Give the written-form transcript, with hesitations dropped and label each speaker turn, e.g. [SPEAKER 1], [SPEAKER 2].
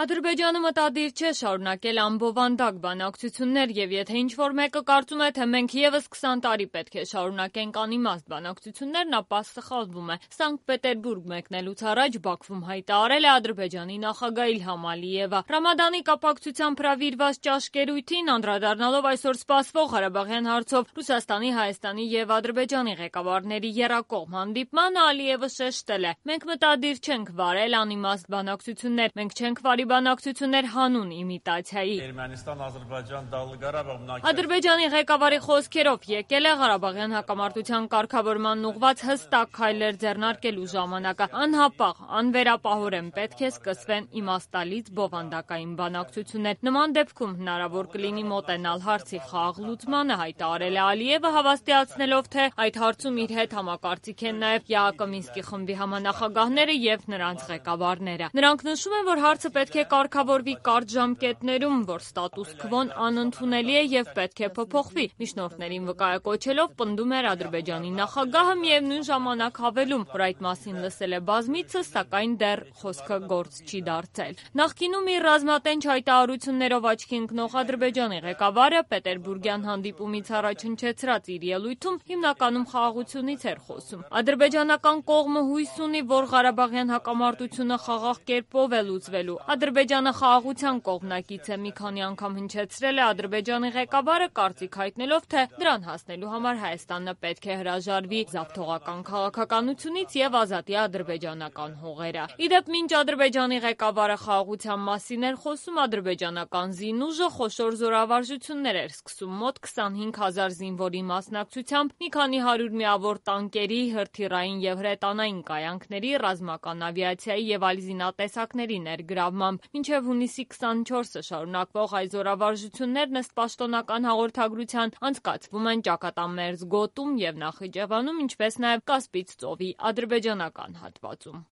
[SPEAKER 1] Ադրբեջանը մտադիր չէ շարունակել անբովանդակ բանակցություններ եւ եթե ինչ-որ մեկը կարծում է, թե մենք եւս 20 տարի պետք է շարունակենք անիմաստ բանակցություններն, ապա սխալվում է։ Սանկտ Պետերբուրգ մեկնելուց առաջ Բաքվում հայտարարել է Ադրբեջանի նախագահ Իլհամ Ալիևը։ Ռամադանի կապակցությամբ հրավիրված ճաշկերույթին անդրադառնալով այսօր սպասվող Ղարաբաղյան հարցով Ռուսաստանի, Հայաստանի եւ Ադրբեջանի ղեկավարների եռակողմ հանդիպմանը Ալիևը շեշտել է. «Մենք մտադիր չենք վարել անիմաստ բանակցություններ, մենք չենք վարի բանակցություններ հանուն իմիտացիայի»։ Ադրբեջանի ղեկավարի խոսքերով եկել է Ղարաբաղյան հակամարտության կարգավորմանն ուղղված հստակ քայլեր ձեռնարկելու ժամանակը։ Անհապաղ, անվերապահորեն պետք է սկսվեն իմաստալից բովանդակային բանակցություններ։ Նման դեպքում հնարավոր կլինի մոտենալ հարցի խաղաղ լուծմանը, հայտարարել է Ալիևը, հավաստիացնելով, թե այդ հարցում իր հետ համակարծիք են նաև ԵԱՀԿ Մինսկի խմբի համանախագահները եւ նրանց ղեկավարները։ Նրանք նշում են, որ հարցը պետք է կարգավորվի կարճ ժամկետներում, որ ստատուս քվոն անընդունելի է եւ պետք է փոփոխվի։ Միջնորդներին վկայակոչելով պնդում էր Ադրբեջանի նախագահը, միևնույն ժամանակ հավելում, որ այդ մասին լսել է բազմիցս, սակայն դեռ խոսքը գործ չի դարձել։ Նախկինում իր ռազմատենչ հայտարարություններով աչքի ընկնող Ադրբեջանի ղեկավարը Պետերբուրգյան հանդիպումից առաջ հնչեցրած իր ելույթում հիմնականում խաղաղությունից էր խոսում։ Ադրբեջանական կողմը հույս ունի, որ Ղարաբաղյան հակամարտությունը խաղաղ կերպով է լուծվելու։ Ադրբեջանը խաղաղության կողմնակից է, մի քանի անգամ հնչեցրել է Ադրբեջանի ղեկավարը, կարծիք հայտնելով, թե դրան հասնելու համար Հայաստանը պետք է հրաժարվի զավթողական քաղաքականությունից եւ ազատի ադրբեջանական հողերը։ Իդեպ, մինչ Ադրբեջանի ղեկավարը խաղաղության մասին էր խոսում, ադրբեջանական զինուժը խոշոր զորավարժություններ էր սկսում մոտ 25,000 զինվորի մասնակցությամբ, մի քանի հարյուր միավոր տանկերի, հրթիռային եւ հրետանային կայանքների, ռազմական ավիացիայի եւ այլ զինատեսակների ներգրավմամբ։ Մինչև հունիսի 24-ը շարունակվող այս զորավարժություններն ըստ պաշտոնական հաղորդագրության անցկացվում են Ճակատամերձ գոտում եւ Նախիջևանում, ինչպես նաեւ Կասպից ծովի ադրբեջանական հատվածում։